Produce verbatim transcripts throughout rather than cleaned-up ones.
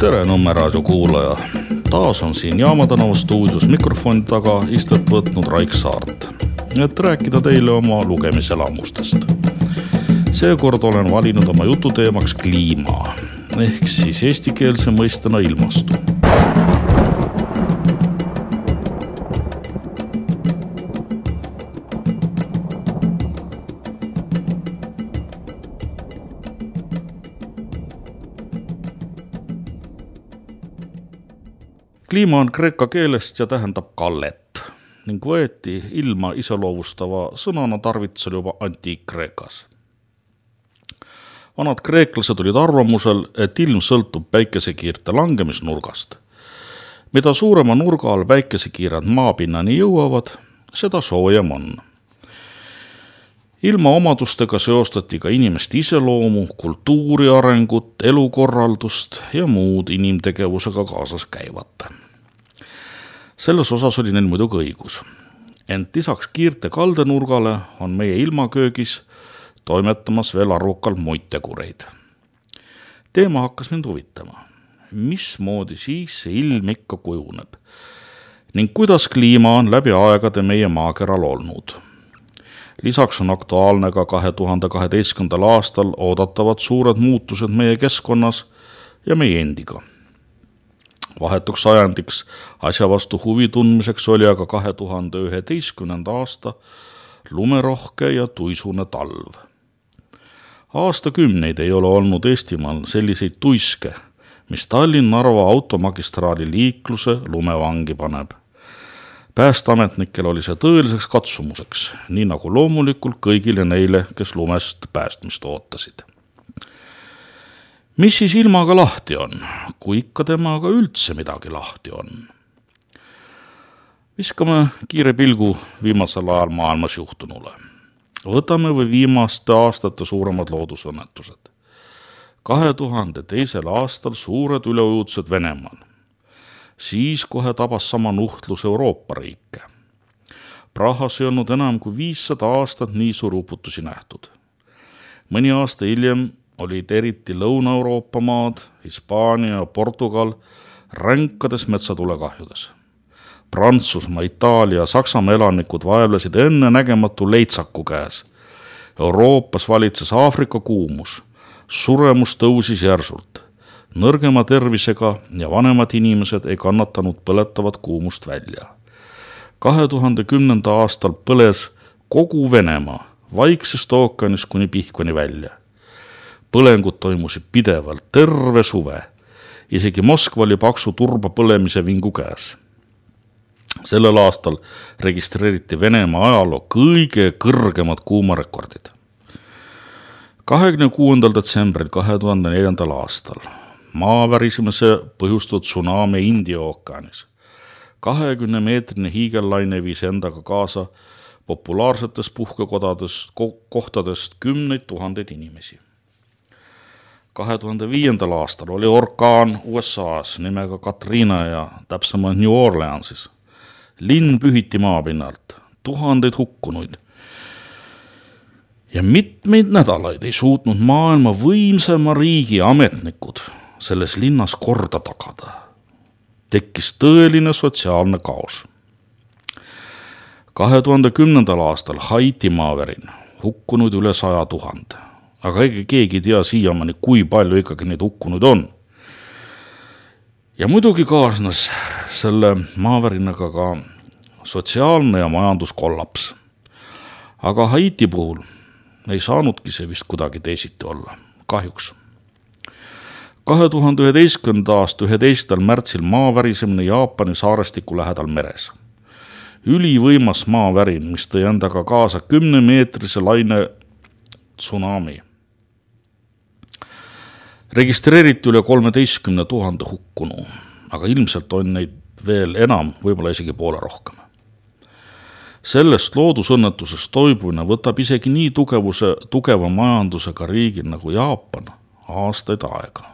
Tere Nõmme raadio kuulaja. Taas on siin Jaamatänava stuudios mikrofoni taga istet võtnud Raik Saart, et rääkida teile oma lugemiselamustest. Seekord olen valinud oma jututeemaks kliima, ehk siis eestikeelse mõistena ilmastu. Kliima on kreeka keelest ja tähendab kallet ning võeti ilma iseloovustava sõnana tarvitusel juba antiik-Kreekas. Vanad kreeklased olid arvamusel, et ilm sõltub päikesekiirte langemisnurgast. Mida suurema nurga all päikesekiired maapinnani jõuavad, seda soojem on. Ilma omadustega seostati ka inimeste iseloomu, kultuuri arengut, elukorraldust ja muud inimtegevusega kaasas käivat. Selles osas oli neil muidugi õigus. Ent lisaks kiirte kaldenurgale on meie ilmaköögis toimetamas veel arvukalt muid tegureid. Teema hakkas mind huvitama. Mismoodi siis see ilm ikka kujuneb? Ning kuidas kliima on läbi aegade meie maakeral olnud? Lisaks on aktuaalne ka kahe tuhande kaheteistkümnendal aastal oodatavad suured muutused meie keskkonnas ja meie endiga. Vahetuks ajandiks asja vastu huvi tundmiseks oli aga kahe tuhande üheteistkümnenda aasta lumerohke ja tuisune talv. Aastakümneid ei ole olnud Eestimaal selliseid tuiske, mis Tallinn-Narva automagistraali liikluse lumevangi paneb. Päästeametnikel oli see tõeliseks katsumuseks, nii nagu loomulikult kõigile neile, kes lumest päästmist ootasid. Mis siis ilmaga lahti on, kui ikka temaga üldse midagi lahti on? Viskame kiire pilgu viimasel ajal maailmas juhtunule. Võtame või viimaste aastate suuremad loodusõnnetused. kahe tuhande teisel aastal suured üleujutused Venemaal. Siis kohe tabas sama nuhtlus Euroopa riike. Prahas ei olnud enam kui viissada aastat nii suur uputusi nähtud. Mõni aasta hiljem olid eriti Lõuna-Euroopa maad, Hispaania ja Portugal ränkades metsatulekahjudes. Prantsusmaa, Itaalia ja Saksamaa elanikud vaevlesid enne nägematu leitsaku käes. Euroopas valitses Aafrika kuumus, suremus tõusis järsult. Nõrgema tervisega ja vanemad inimesed ei kannatanud põletavat kuumust välja. kahe tuhande kümnenda aastal põles kogu Venemaa Vaiksest ookeanist kuni Pihkvani välja. Põlengud toimusid pidevalt terve suve. Isegi Moskva oli paksu turba põlemise vingu käes. Sellel aastal registreeriti Venemaa ajaloo kõige kõrgemad kuumarekordid. kahekümne kuuendal detsembril kahe tuhande neljandal aastal maavärisemise põhjustatud tsunami India ookeanis. kahekümne meetrine hiigellaine viis endaga kaasa populaarsetes puhkekodades kohtadest kümneid tuhandeid inimesi. kahe tuhande viiendal aastal oli orkaan U S A-s nimega Katrina ja täpsemalt New Orleansis. Linn pühiti maapinnalt, tuhandeid hukkunuid. Ja mitmeid nädalaid ei suutnud maailma võimsama riigi ametnikud selles linnas korda tagada. Tekkis tõeline sotsiaalne kaos. kahe tuhande kümnendal aastal Haiti maavärin hukkunud üle saja tuhande. Aga ega keegi ei tea siiamaani, kui palju ikkagi neid hukkunud on. Ja muidugi kaasnes selle maavärinaga ka sotsiaalne ja majanduskollaps. Aga Haiti puhul ei saanudki see vist kuidagi teisiti olla, kahjuks. kahe tuhande üheteistkümnenda aasta üheteistkümnendal märtsil maavärisemine Jaapani saarestiku lähedal meres. Ülivõimas maavärin, mis tõi endaga kaasa kümnemeetrise laine tsunami. Registreeriti üle kolmeteistkümne tuhande hukkunu, aga ilmselt on neid veel enam, võib-olla isegi poole rohkem. Sellest loodusõnnetusest toibumine võtab isegi nii tugevuse, tugeva majandusega riigil nagu Jaapan aastaid aega.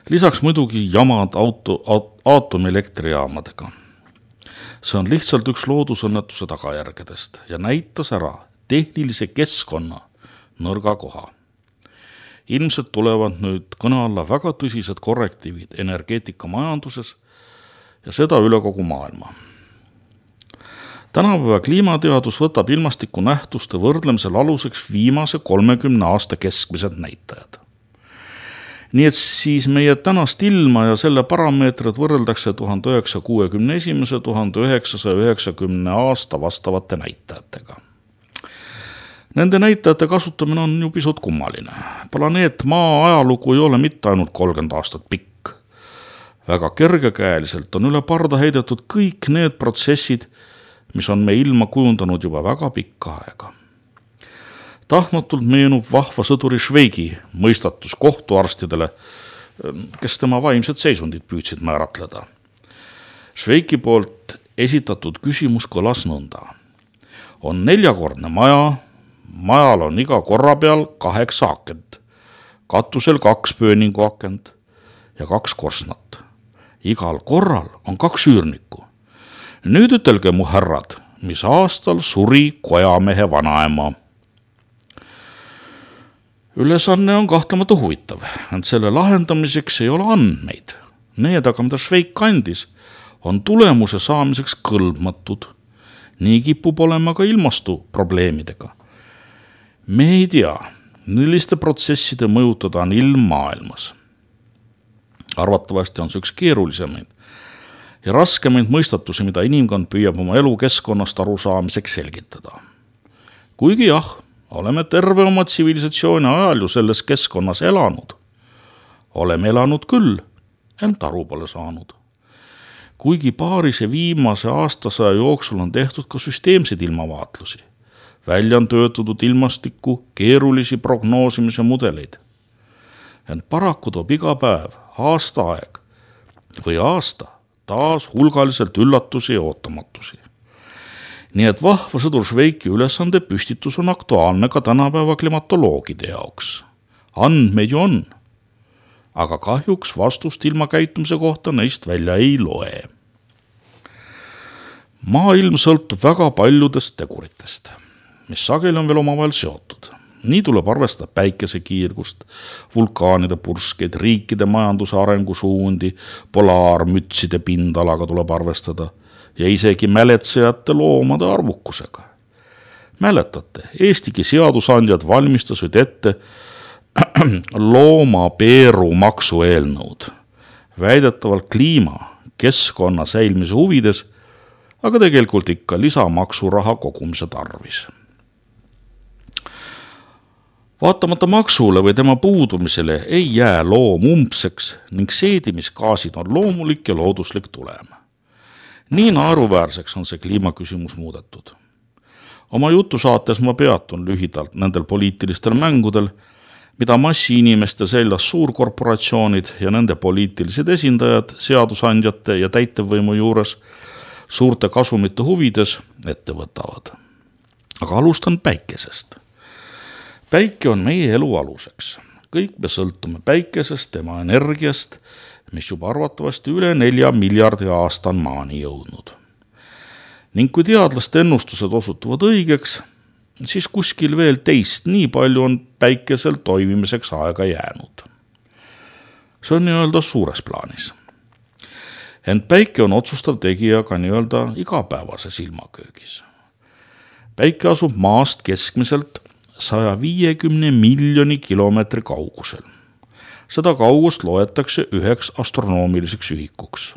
Lisaks muidugi jamad auto, aatomelektrijaamadega. See on lihtsalt üks loodusõnnetuse tagajärgedest ja näitas ära tehnilise keskkonna nõrga koha. ilmselt tulevad nüüd kõne alla väga tõsised korrektiivid energeetikamajanduses ja seda üle kogu maailma. Tänapäeva kliimateadus võtab ilmastiku nähtuste võrdlemisel aluseks viimase kolmekümne aasta keskmised näitajad. Nii et siis meie tänast ilma ja selle parameetrid võrreldakse tuhande üheksasaja kuuekümne esimese tuhande üheksasaja üheksakümne aasta vastavate näitajatega. Nende näitajate kasutamine on ju pisut kummaline. Planeet Maa ajalugu ei ole mitte ainult kolmkümmend aastat pikk. Väga kergekäeliselt on üle parda heidetud kõik need protsessid, mis on me ilma kujundanud juba väga pikka aega. Tahtmatult meenub vahva sõduri Šveigi mõistatus kohtuarstidele, kes tema vaimset seisundit püüdsid määratleda. Šveigi poolt esitatud küsimus kõlas nõnda. On neljakordne maja, majal on iga korra peal kaheksa akent, katusel kaks pööningu akent ja kaks korsnat. Igal korral on kaks üürnikku. Nüüd ütelge mu härrad, mis aastal suri kojamehe vanaema. Ülesanne on kahtlemata huvitav, ent selle lahendamiseks ei ole andmeid. Need aga, mida Šveik kandis, on tulemuse saamiseks kõlbmatud. Nii kipub olema ka ilmastu probleemidega. Me ei tea, milliste protsesside mõjutada on ilm maailmas. Arvatavasti on see üks keerulisemaid ja raskemaid mõistatusi, mida inimkond püüab oma elukeskkonnast arusaamiseks selgitada. Kuigi jah, oleme terve oma tsivilisatsiooni ajal ju selles keskkonnas elanud. Oleme elanud küll, ent aru pole saanud. Kuigi paarise viimase aastasaja jooksul on tehtud ka süsteemseid ilmavaatlusi, välja on töötatud ilmastikku keerulisi prognoosimise mudeleid. Ent paraku toob iga päev, aasta aeg või aasta taas hulgaliselt üllatusi ja ootamatusi. Nii et vahva sõdur Šveiki ülesande püstitus on aktuaalne ka tänapäeva klimatoloogide jaoks. Andmeid ju on, aga kahjuks vastust ilma käitumise kohta neist välja ei loe. Maailm sõltub väga paljudest teguritest, mis sageli on veel omavahel seotud. Nii tuleb arvestada päikesekiirgust, vulkaanide purskeid, riikide majanduse arengusuundi, polaarmütside pindalaga tuleb arvestada ja isegi mäletsejate loomade arvukusega. Mäletate, Eestigi seadusandjad valmistasid ette loomapeeru maksu eelnõud, väidetavalt kliima, keskkonna säilmise huvides, aga tegelikult ikka lisamaksuraha kogumise tarvis. Vaatamata maksule või tema puudumisele ei jää loom umbseks ning seedimisgaasid on loomulik ja looduslik tulem. Nii naeruväärseks on see kliimaküsimus muudetud. Oma jutusaates ma peatun lühidalt nendel poliitilistel mängudel, mida massi inimeste seljas suurkorporatsioonid ja nende poliitilised esindajad seadusandjate ja täitevvõimu juures suurte kasumite huvides ette võtavad. Aga alustan päikesest. Päike on meie elu aluseks. Kõik me sõltume päikesest, tema energiast, mis juba arvatavasti üle nelja miljardi aasta on maani jõudnud. Ning kui teadlaste ennustused osutuvad õigeks, siis kuskil veel teist nii palju on päikesel toimimiseks aega jäänud. See on nii-öelda suures plaanis. Ent päike on otsustav tegija ka nii-öelda igapäevases ilmaköögis. Päike asub maast keskmiselt saja viiekümne miljoni kilomeetri kaugusel. Seda kaugust loetakse üheks astronoomiliseks ühikuks.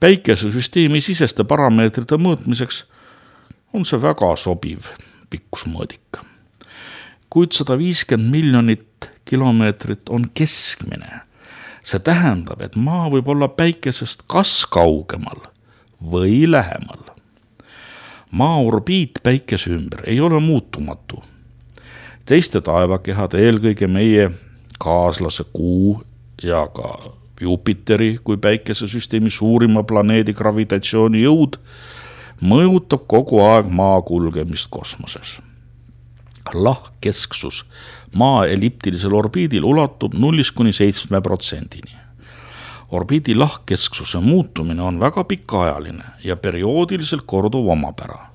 Päikesesüsteemi siseste parameetrite mõõtmiseks on see väga sobiv pikkusmõõdik. Kuid sada viiskümmend miljonit kilomeetrit on keskmine. See tähendab, et Maa võib olla päikesest kas kaugemal või lähemal. Maa orbiit päikese ümber ei ole muutumatu. Teiste taevakehade, eelkõige meie kaaslase Kuu ja ka Jupiteri kui päikesesüsteemi suurima planeedi gravitatsiooni jõud mõjutab kogu aeg Maa kulgemist kosmoses. Lahkkesksus Maa elliptilisel orbiidil ulatub nullist kuni seitsme protsendini. Orbiidi lahkkesksuse muutumine on väga pikaajaline ja perioodiliselt korduv omapära.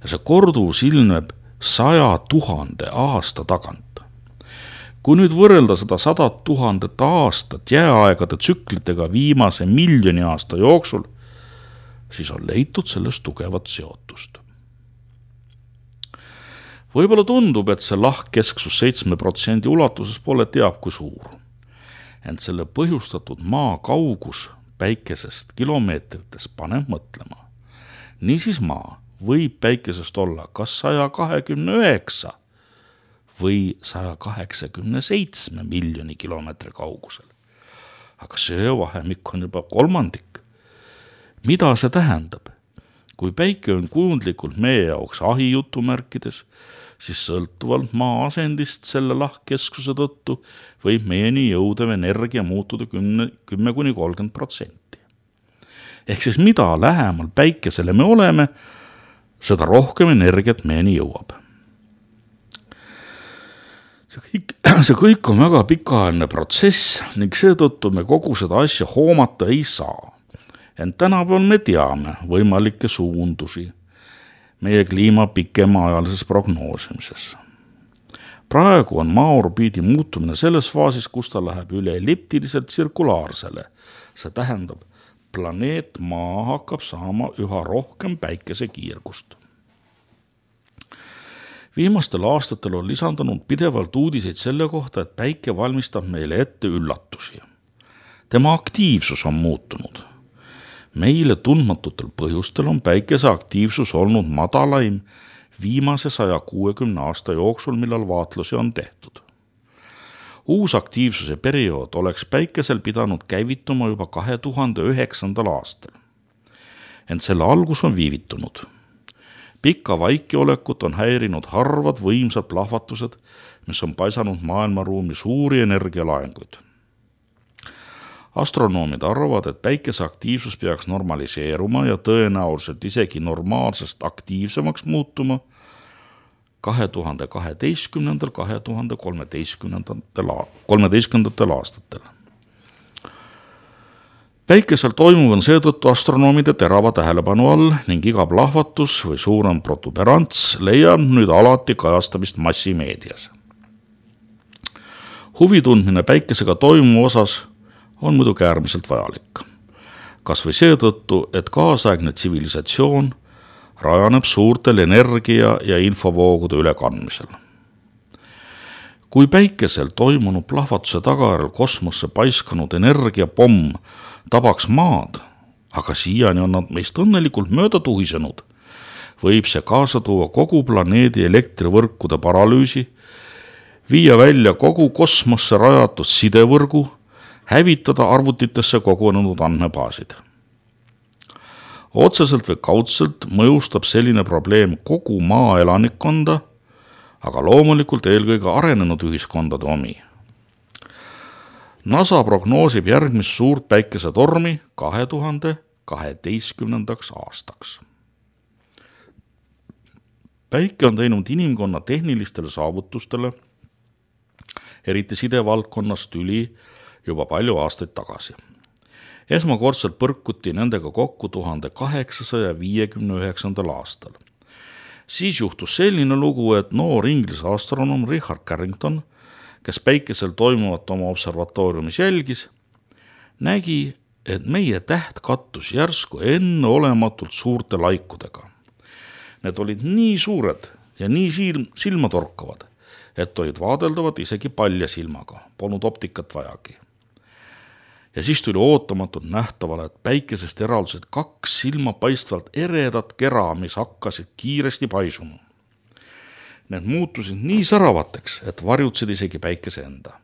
Ja see korduvus ilmneb saja tuhande aasta tagant. Kui nüüd võrrelda seda sadat tuhandet aastat jääaegade tsüklitega viimase miljoni aasta jooksul, siis on leitud sellest tugevat seotust. Võib-olla tundub, et see lahkkesksus seitsme protsendi ulatuses pole teab kui suur. Ent selle põhjustatud maa kaugus päikesest kilomeetrites paneb mõtlema. Niisiis maa võib päikesest olla kas saja kahekümne üheksa või saja kaheksakümne seitsme miljoni kilomeetri kaugusel. Aga see vahemik on juba kolmandik. Mida see tähendab? Kui päike on kujundlikult meie jaoks ahi jutumärkides, siis sõltuvalt maa asendist selle lahkkeskuse tõttu võib meieni jõudev energia muutuda kümme kuni kolmkümmend protsenti. Ehk siis mida lähemal päikesele me oleme, seda rohkem energiat meieni jõuab. See kõik, see kõik on väga pikaajaline protsess ning seetõttu me kogu seda asja hoomata ei saa. Ent tänapäeval me teame võimalikke suundusi meie kliima pikemaajalises prognoosimises. Praegu on maa orbiidi muutumine selles faasis, kus ta läheb üle elliptiliselt tsirkulaarsele. See tähendab, planeet maa hakkab saama üha rohkem päikese kiirgust. Viimastel aastatel on lisandunud pidevalt uudiseid selle kohta, et päike valmistab meile ette üllatusi. Tema aktiivsus on muutunud. Meile tundmatutel põhjustel on päikese aktiivsus olnud madalaim viimase saja kuuekümne aasta jooksul, millal vaatlusi on tehtud. Uus aktiivsuse periood oleks päikesel pidanud käivituma juba kahe tuhande üheksandal aastal. Ent selle algus on viivitunud. Pikka vaikiolekut on häirinud harvad võimsad plahvatused, mis on paisanud maailmaruumi suuri energialaenguid. Astronoomid arvavad, et päikese aktiivsus peaks normaliseeruma ja tõenäoliselt isegi normaalsest aktiivsemaks muutuma kahe tuhande kaheteistkümnendal – kahe tuhande kolmeteistkümnendatel aastatel. Päikesel toimuv on seetõttu astronoomide terava tähelepanu all ning iga plahvatus või suurem protuberants leiab nüüd alati kajastamist massimeedias. Huvi tundmine päikesega toimuva osas on muidugi äärmiselt vajalik. Kas või seetõttu, et kaasaegne tsivilisatsioon rajaneb suurtel energia- ja infovoogude ülekandmisel. Kui päikesel toimunud plahvatuse tagajärjel kosmosse paiskanud energiapomm tabaks maad, aga siiani on nad meist õnnelikult mööda tuhisenud, võib see kaasa tuua kogu planeedi elektrivõrkude paralüüsi, viia välja kogu kosmosse rajatud sidevõrgu, hävitada arvutitesse kogunenud andmebaasid. Otseselt või kaudselt mõjustab selline probleem kogu maa elanikkonda, aga loomulikult eelkõige arenenud ühiskondade omi. NASA prognoosib järgmist suurt päikesetormi kahe tuhande kaheteistkümnendaks aastaks. Päike on teinud inimkonna tehnilistele saavutustele, eriti sidevaldkonnas tüli juba palju aastaid tagasi. Esmakordselt põrkuti nendega kokku tuhande kaheksasaja viiekümne üheksandal aastal. Siis juhtus selline lugu, et noor inglise astronoom Richard Carrington, kes päikesel toimuvat oma observatooriumis jälgis, nägi, et meie täht kattus järsku enneolematult suurte laikudega. Need olid nii suured ja nii silm, silmatorkavad, et olid vaadeldavad isegi palja silmaga, polnud optikat vajagi. Ja siis tuli ootamatult nähtavale, et päikesest eraldusid kaks silmapaistvalt eredat kera, mis hakkasid kiiresti paisuma. Need muutusid nii säravateks, et varjutsid isegi päikese enda.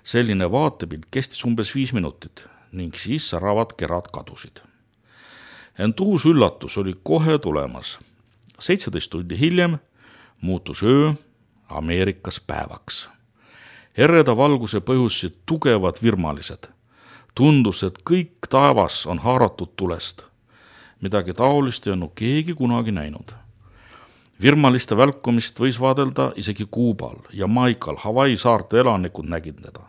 Selline vaatepilt kestis umbes viis minutit ning siis säravad kerad kadusid. Ent uus üllatus oli kohe tulemas. seitseteist tundi hiljem muutus öö Ameerikas päevaks. Ereda valguse põhjustasid tugevad virmalised. Tundus, et kõik taevas on haaratud tulest. Midagi taolist ei olnud keegi kunagi näinud. Virmaliste välkumist võis vaadelda isegi Kuubal, Jamaikal, Hawaii saarte elanikud nägid teda.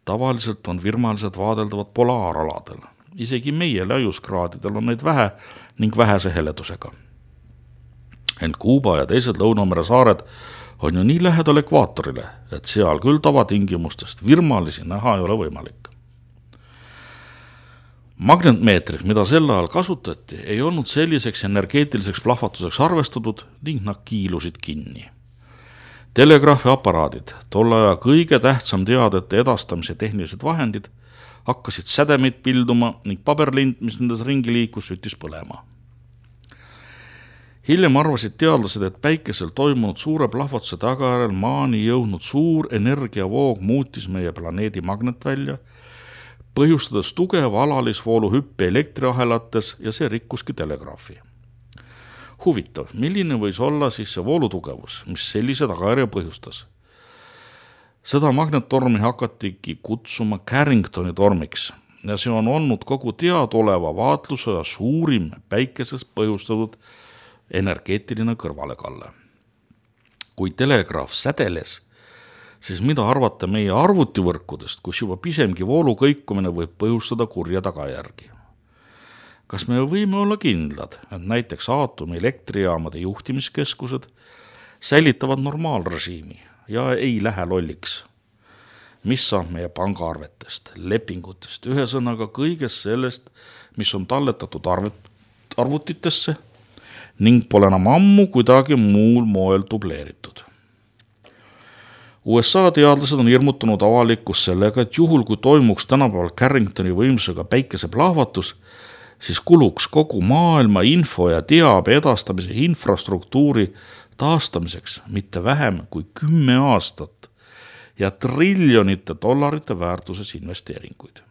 Tavaliselt on virmalised vaadeldavad polaaraladel. Isegi meie laiuskraadidel on neid vähe ning vähese heledusega. Ent Kuuba ja teised Lõunamere saared on ju nii lähedal ekvaatorile, et seal küll tavatingimustest virmalisi näha ei ole võimalik. Magnetmeetrid, mida sel ajal kasutati, ei olnud selliseks energeetiliseks plahvatuseks arvestatud ning nad kiilusid kinni. Telegraafiaparaadid, tolle aja kõige tähtsam teadete edastamise tehnilised vahendid, hakkasid sädemeid pilduma ning paberlind, mis nendes ringi liikus, süttis põlema. Hiljem arvasid teadlased, et päikesel toimunud suure plahvatuse tagajärjel maani jõudnud suur energiavoog muutis meie planeedi magnetvälja, põhjustades tugeva alalisvoolu hüppe elektriahelates ja see rikkuski telegraafi. Huvitav, milline võis olla siis see voolutugevus, mis sellise tagajärje põhjustas? Seda magnettormi hakatigi kutsuma Carringtoni tormiks ja see on olnud kogu teadoleva vaatluse ja suurim päikeses põhjustatud energeetiline kõrvalekalle. Kui telegraaf sädeles, siis mida arvata meie arvutivõrkudest, kus juba pisemgi voolu kõikumine võib põhjustada kurja tagajärgi? Kas me võime olla kindlad, et näiteks aatomi elektrijaamade juhtimiskeskused säilitavad normaalrežiimi ja ei lähe lolliks? Mis saab meie pangaarvetest, lepingutest, ühe sõnaga kõigest sellest, mis on talletatud arvutitesse ning pole enam ammu kuidagi muul moel dubleeritud? U S A teadlased on hirmutanud avalikkus sellega, et juhul kui toimuks tänapäeval Carringtoni võimsusega päikeseplahvatus, siis kuluks kogu maailma info ja teabe edastamise infrastruktuuri taastamiseks mitte vähem kui kümme aastat ja triljonite dollarite väärtuses investeeringuid.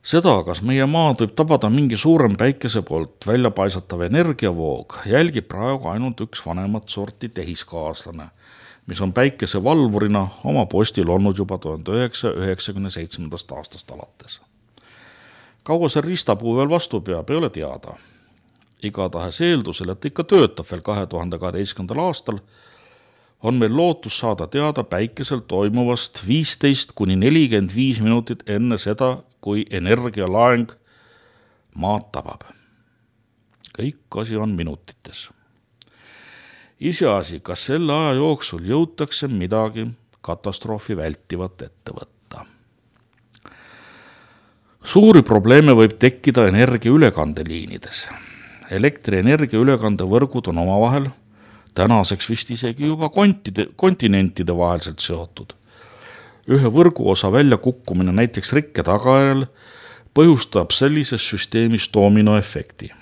Seda, kas meie maad võib tabada mingi suurem päikese poolt välja paisatav energiavoog, jälgib praegu ainult üks vanemat sorti tehiskaaslane, mis on päikese valvurina oma postil olnud juba tuhande üheksasaja üheksakümne seitsmendast aastast alates. Kaua see ristapuu veel vastu peab, ei ole teada. Igatahes eeldusel, et ikka töötab veel kahe tuhande kaheteistkümnendal aastal, on meil lootus saada teada päikesel toimuvast viisteist kuni nelikümmend viis minutit enne seda, kui energialaeng maad tabab. Kõik asi on minutites. Iseasi, kas selle aja jooksul jõutakse midagi katastroofi vältivat ette võtta. Suuri probleeme võib tekkida energia ülekandeliinides. Elektrienergia ülekandevõrgud on omavahel tänaseks vist isegi juba kontide, kontinentide vaheliselt seotud. Ühe võrguosa väljakukkumine näiteks rikke tagajärjel põhjustab sellises süsteemis dominoefekti.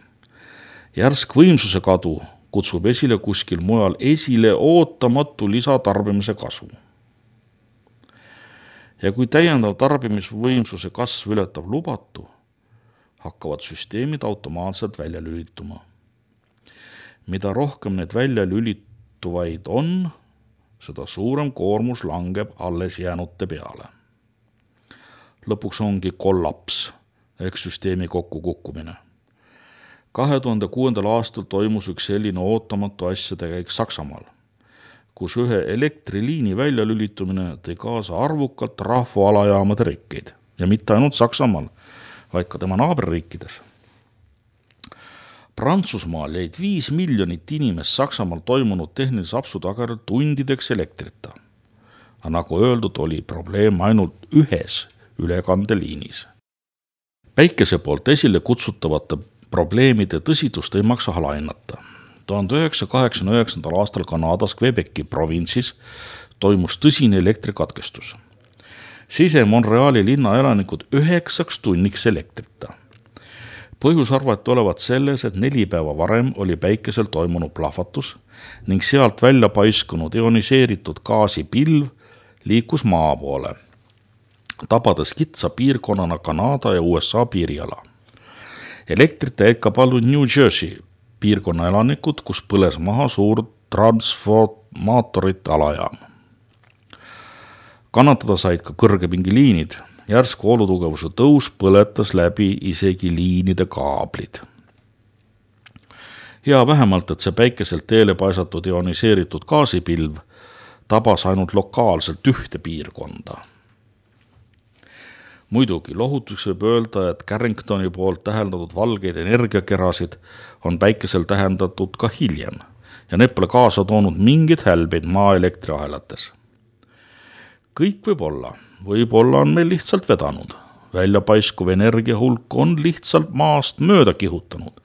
Järsk võimsuse kadu kutsub esile kuskil mujal esile ootamatu lisatarbimise kasvu. Ja kui täiendav tarbimisvõimsuse kasv ületab lubatu, hakkavad süsteemid automaatselt välja lülituma. Mida rohkem need välja lülituvaid on, seda suurem koormus langeb alles jäänute peale. Lõpuks ongi kollaps ehk süsteemi kokkukukkumine. kahe tuhande kuuendal aastal toimus üks selline ootamatu asjade käik Saksamaal, kus ühe elektriliini väljalülitumine tõi kaasa arvukalt rahvaalajaamade rikkeid ja mitte ainult Saksamaal, vaid ka tema naaberriikides. Prantsusmaal jäid viis miljonit inimest Saksamaal toimunud tehnilise apsu tagajärjel tundideks elektrita. Aga nagu öeldud, oli probleem ainult ühes ülekandeliinis. Päikese poolt esile kutsutavate probleemide tõsidust ei maksa alahinnata. tuhande üheksasaja kaheksakümne üheksandal aastal Kanadas Quebeci provintsis toimus tõsine elektrikatkestus. Sise Montreali linna elanikud üheksaks tunniks elektrita. Põhjus arvati olevat selles, et neli päeva varem oli päikesel toimunud plahvatus ning sealt välja paiskunud ioniseeritud gaasipilv liikus maa poole, tabades kitsa piirkonnana Kanada ja U S A piiriala. Elektrita jäid ka paljud New Jersey piirkonna elanikud, kus põles maha suur transformaatorite alajaam. Kannatada said ka kõrgepingiliinid. Järsk voolutugevuse tõus põletas läbi isegi liinide kaablid. Hea vähemalt, et see päikeselt teele paisatud ioniseeritud gaasipilv tabas ainult lokaalselt ühte piirkonda. Muidugi lohutuseks võib öelda, et Carringtoni poolt täheldatud valgeid energiakerasid on päikesel tähendatud ka hiljem ja need pole kaasa toonud mingit hälbeid maa elektriahelates. Kõik võib olla, võib-olla on meil lihtsalt vedanud. Väljapaiskuv energia hulk on lihtsalt maast mööda kihutanud.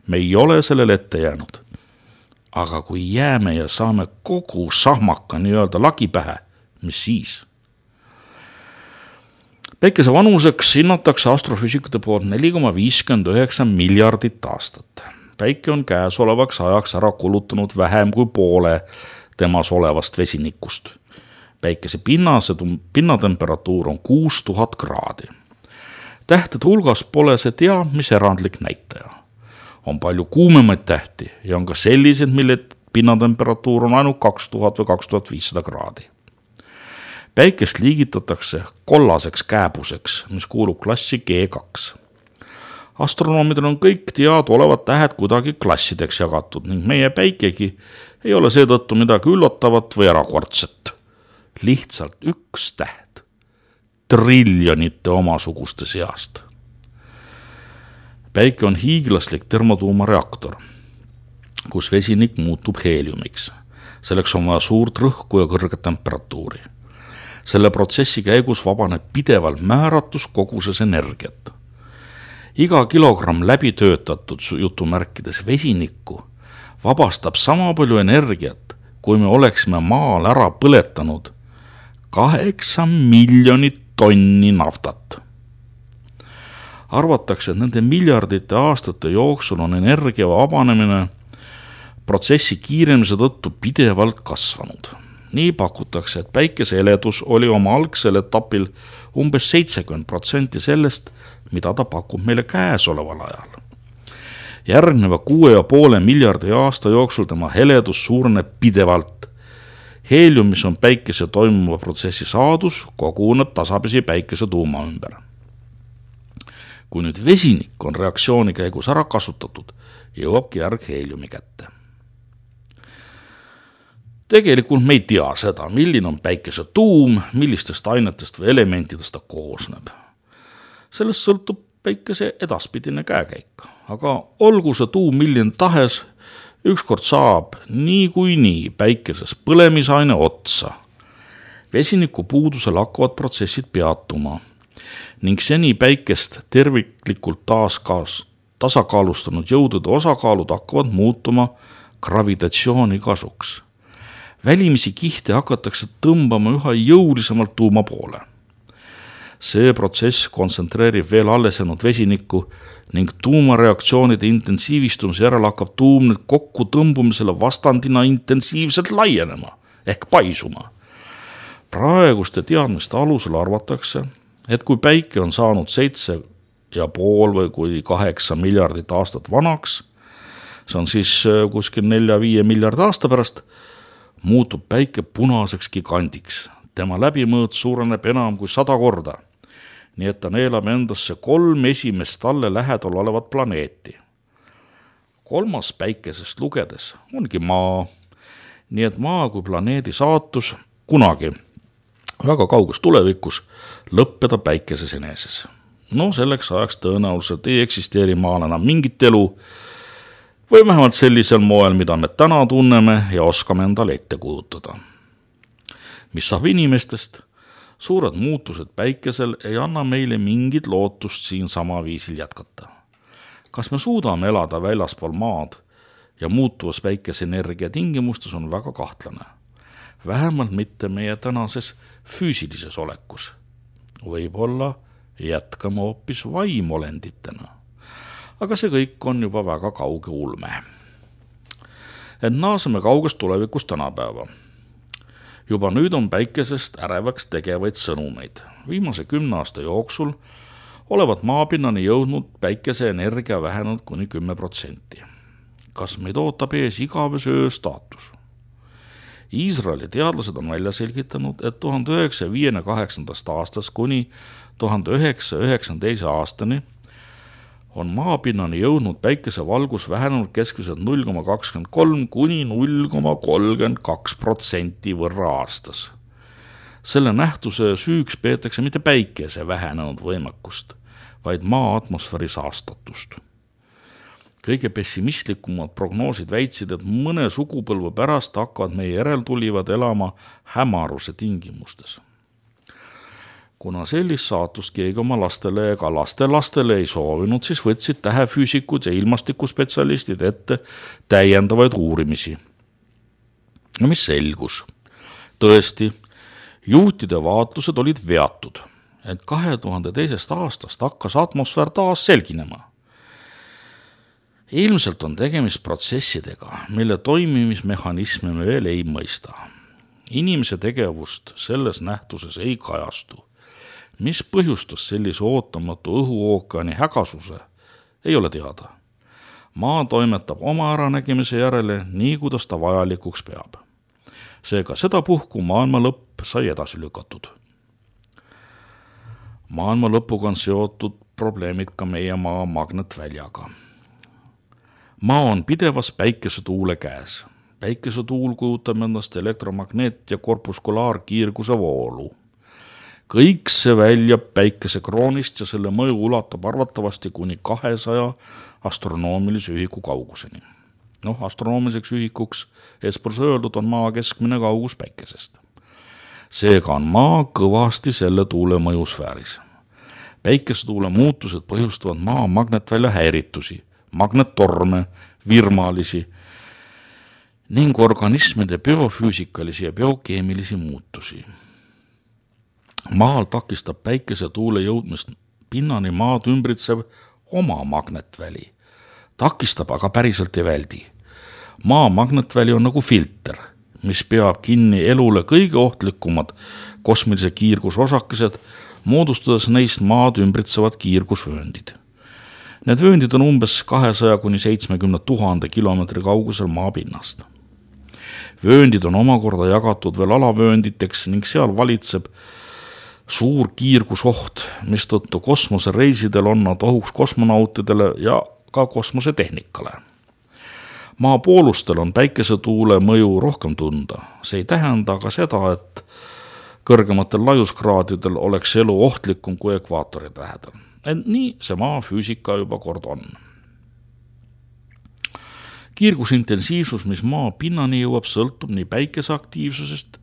Me ei ole sellele ette jäänud. Aga kui jääme ja saame kogu sahmaka nii-öelda lagi pähe, mis siis? Päikese vanuseks hinnatakse astrofüüsikute poolt neli koma viiskümmend üheksa miljardit aastat. Päike on käesolevaks ajaks ära kulutanud vähem kui poole temas olevast vesinikust. Päikese pinnase, pinnatemperatuur on kuus tuhat kraadi. Tähtede hulgas pole see teab, mis erandlik näitaja. On palju kuumemaid tähti ja on ka sellised, mille pinnatemperatuur on ainult kaks tuhat või kaks tuhat viissada kraadi. Päikest liigitatakse kollaseks kääbuseks, mis kuulub klassi G kaks. Astronoomidel on kõik teada olevad tähed kuidagi klassideks jagatud ning meie päikegi ei ole seetõttu midagi üllatavat või erakordset. Lihtsalt üks täht triljonite omasuguste seast. Päike on hiiglaslik termotuumareaktor, kus vesinik muutub heeliumiks. Selleks on vaja suurt rõhku ja kõrget temperatuuri. Selle protsessi käigus vabaneb pidevalt määratus koguses energiat. Iga kilogramm läbi töötatud jutumärkides vesinikku vabastab sama palju energiat, kui me oleksime maal ära põletanud kaheksa miljonit tonni naftat. Arvatakse, et nende miljardite aastate jooksul on energia vabanemine protsessi kiiremise tõttu pidevalt kasvanud. Nii pakutakse, et päikese heledus oli oma algsel etapil umbes seitsekümmend protsenti sellest, mida ta pakub meile käesoleval ajal. Järgneva kuue ja poole miljardi aasta jooksul tema heledus suureneb pidevalt. Heelium, mis on päikese toimuva protsessi saadus, koguneb tasapisi päikese tuuma ümber. Kui nüüd vesinik on reaktsiooni käigus ära kasutatud, jõuabki järg heeliumi kätte. Tegelikult me ei tea seda, milline on päikese tuum, millistest ainetest või elementidest ta koosneb. Sellest sõltub päikese edaspidine käekäik, aga olgu see tuum milline tahes, ükskord saab nii kui nii päikeses põlemisaine otsa. Vesiniku puudusel hakkavad protsessid peatuma ning seni päikest terviklikult taaskaas, tasakaalustanud jõudude osakaalud hakkavad muutuma gravitatsiooni kasuks. Välimisi kihte hakatakse tõmbama üha jõulisemalt tuuma poole. See protsess kontsentreerib veel alles jäänud vesinikku ning tuumareaktsioonide intensiivistumise järel hakkab tuum nüüd kokku tõmbumisele vastandina intensiivselt laienema ehk paisuma. Praeguste teadmiste alusel arvatakse, et kui päike on saanud seitse ja pool või kui kaheksa miljardit aastat vanaks, see on siis kuskil nelja viie miljardi aasta pärast, muutub päike punaseks gigandiks. Tema läbimõõt suureneb enam kui sada korda, nii et ta neelab endasse kolm esimest talle lähedal olevat planeeti. Kolmas päikesest lugedes ongi maa, nii et maa kui planeedi saatus kunagi väga kauges tulevikus lõppeda päikeses eneses. No selleks ajaks tõenäoliselt ei eksisteeri maal enam mingit elu, või vähemalt sellisel moel, mida me täna tunneme ja oskame endale ette kujutada. Mis saab inimestest? Suured muutused päikesel ei anna meile mingit lootust siin sama viisil jätkata. Kas me suudame elada väljaspool maad ja muutuvas päikeseenergia tingimustes on väga kahtlane. Vähemalt mitte meie tänases füüsilises olekus. Võib-olla jätkame hoopis vaimolenditena. Aga see kõik on juba väga kauge ulme. Et naaseme kaugest tulevikust tänapäeva. Juba nüüd on päikesest ärevaks tegevaid sõnumeid. Viimase kümne aasta jooksul olevat maapinnani jõudnud päikese energia vähenenud kuni kümme protsenti. Kas meid ootab ees igavese öö staatus? Iisraeli teadlased on välja selgitanud, et tuhande üheksasaja viiekümne kaheksandast aastast kuni tuhande üheksasaja üheksakümne teise aastani on maapinnani jõudnud päikese valgus vähenenud keskmiselt null koma kakskümmend kolm kuni null koma kolmkümmend kaks protsenti võrra aastas. Selle nähtuse süüks peetakse mitte päikese vähenenud võimekust, vaid maa atmosfääri saastatust. kõige pessimistlikumad prognoosid väitsid, et mõne sugupõlve pärast hakkavad meie järeltulivad elama hämaruse tingimustes. Kuna sellist saatust keegi oma lastele ega lastelastele ei soovinud, siis võtsid tähefüüsikud ja ilmastikuspetsialistid ette täiendavaid uurimisi. Ja mis selgus? Tõesti, juutide vaatlused olid veatud, et kahe tuhande teisest aastast hakkas atmosfäär taas selginema. Ilmselt on tegemist protsessidega, mille toimimismehhanisme me veel ei mõista. Inimese tegevust selles nähtuses ei kajastu. Mis põhjustas sellise ootamatu õhuookeani hägasuse, ei ole teada. Maa toimetab oma äranägemise järele nii, kuidas ta vajalikuks peab. Seega seda puhku maailma lõpp sai edasi lükatud. Maailma lõpuga on seotud probleemid ka meie maa magnetväljaga. Maa on pidevas päikesetuule käes. Päikesetuul kujutab endast elektromagneet- ja korpuskulaarkiirguse voolu. Kõik see väljab päikesekroonist ja selle mõju ulatab arvatavasti kuni kahesaja astronoomilise ühiku kauguseni. Noh, astronoomiliseks ühikuks eespõrs öeldud on maa keskmine kaugus päikesest. Seega on maa kõvasti selle tuule mõjusfääris. Päikesetuule muutused põhjustavad maa magnetvälja häiritusi, magnettorme, virmalisi ning organismide biofüüsikalisi ja biokeemilisi muutusi. Maal takistab päikesetuule jõudmist pinnani maad ümbritsev oma magnetväli. Takistab, aga päriselt ei väldi. Maa magnetväli on nagu filter, mis peab kinni elule kõige ohtlikumad kosmilise kiirgusosakesed, moodustades neist maad ümbritsevad kiirgusvööndid. Need vööndid on umbes kahesaja kuni seitsmekümne tuhande kilomeetri kaugusel maapinnast. Vööndid on omakorda jagatud veel alavöönditeks ning seal valitseb suur kiirgusoht, mistõttu kosmosereisidel on nad ohuks kosmonautidele ja ka kosmosetehnikale. Maa poolustel on päikesetuule mõju rohkem tunda. See ei tähenda aga seda, et kõrgematel laiuskraadidel oleks elu ohtlikum kui ekvaatori lähedal. Ent nii see maa füüsika juba kord on. Kiirgusintensiivsus, mis maa pinnani jõuab, sõltub nii päikese aktiivsusest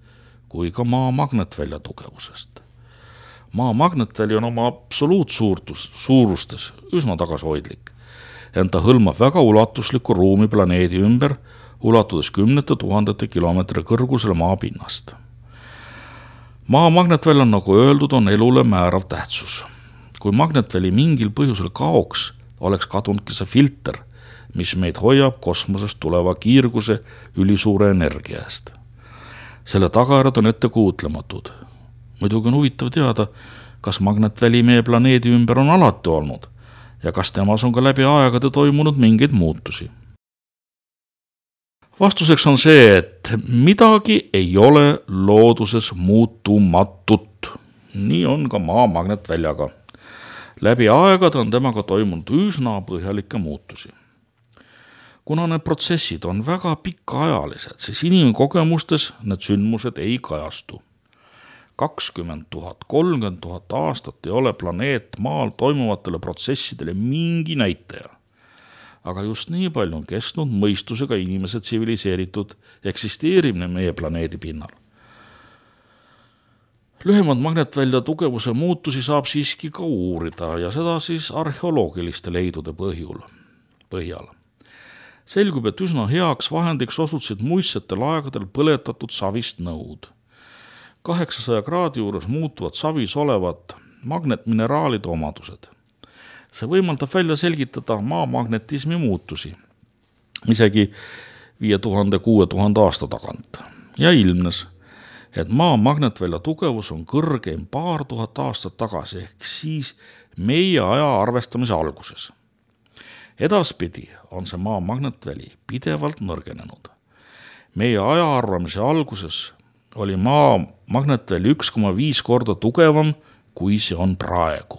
kui ka maa magnetvälja tugevusest. Maa magnetväli on oma absoluutsuurtus, suurustes üsna tagasihoidlik, ent ta hõlmab väga ulatuslikku ruumi planeedi ümber, ulatudes kümnete tuhandete kilomeetri kõrgusele maa pinnast. Maa magnetväli on, nagu öeldud, on elule määrav tähtsus. Kui magnetväli mingil põhjusel kaoks, oleks kadunudki see filter, mis meid hoiab kosmosest tuleva kiirguse ülisuure energia eest. Selle tagajärjed on ette kuutlematud. Muidugi on huvitav teada, kas magnetväli meie planeedi ümber on alati olnud ja kas temas on ka läbi aegade toimunud mingeid muutusi. Vastuseks on see, et midagi ei ole looduses muutumatut. Nii on ka maa magnetväljaga. Läbi aegade on temaga toimunud üsna põhjalikke muutusi. Kuna need protsessid on väga pikaajalised, siis inimkogemustes need sündmused ei kajastu. kakskümmend tuhat, kolmkümmend tuhat aastat ei ole planeet maal toimuvatele protsessidele mingi näitaja. Aga just nii palju on kestnud mõistusega inimese tsiviliseeritud eksisteerimine meie planeedi pinnal. Lühemad magnetvälja tugevuse muutusi saab siiski ka uurida ja seda siis arheoloogiliste leidude põhjul, põhjal. Selgub, et üsna heaks vahendiks osutsid muistsetel aegadel põletatud savist nõud. kaheksasaja kraadi juures muutuvad savis olevad magnetmineraalide omadused. See võimaldab välja selgitada maa magnetismi muutusi, isegi viie tuhande kuue tuhande aasta tagant. Ja ilmnes, et maa magnetvälja tugevus on kõrgeim paar tuhat aastat tagasi, ehk siis meie aja arvestamise alguses. Edaspidi on see maa magnetväli pidevalt nõrgenenud. Meie aja arvamise alguses oli maa magnetväli üks koma viis korda tugevam, kui see on praegu.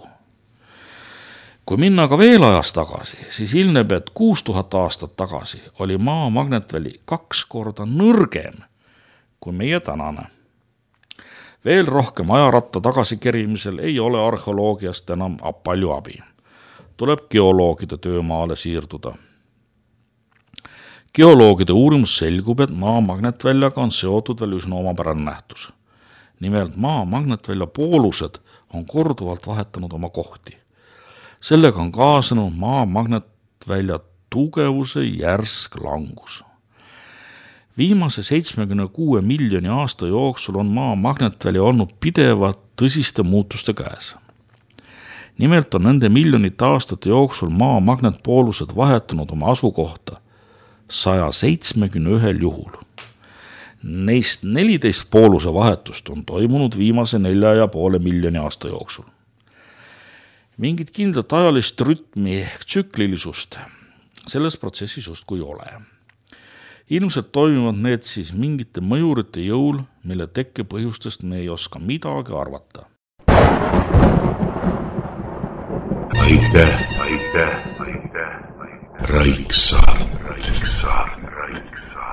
Kui minna ka veel ajas tagasi, siis ilmneb, et kuus tuhat aastat tagasi oli maa magnetväli kaks korda nõrgem kui meie tänane. Veel rohkem ajaratta tagasikerimisel ei ole arheoloogiast enam palju abi. Tuleb geoloogide töömaale siirduda. Geoloogide uurimus selgub, et maa magnetväljaga on seotud veel üsna omapärane nähtus. Nimelt maa magnetvälja poolused on korduvalt vahetanud oma kohti. Sellega on kaasanud maa magnetvälja tugevuse järsk langus. Viimase seitsmekümne kuue miljoni aasta jooksul on maa magnetväli olnud pidevat tõsiste muutuste käes. Nimelt on nende miljonite aastate jooksul maa magnetpoolused vahetunud oma asukohta saja seitsmekümne ühel juhul. Neist neliteist pooluse vahetust on toimunud viimase nelja ja poole miljoni aasta jooksul. Mingit kindlat ajalist rütmi ehk tsüklilisust selles protsessis justkui ole. Ilmselt toimuvad need siis mingite mõjurite jõul, mille tekke põhjustest me ei oska midagi arvata. Aitäh, aitäh, aitäh, Raiksaart, Raiksaart, Raiksaart.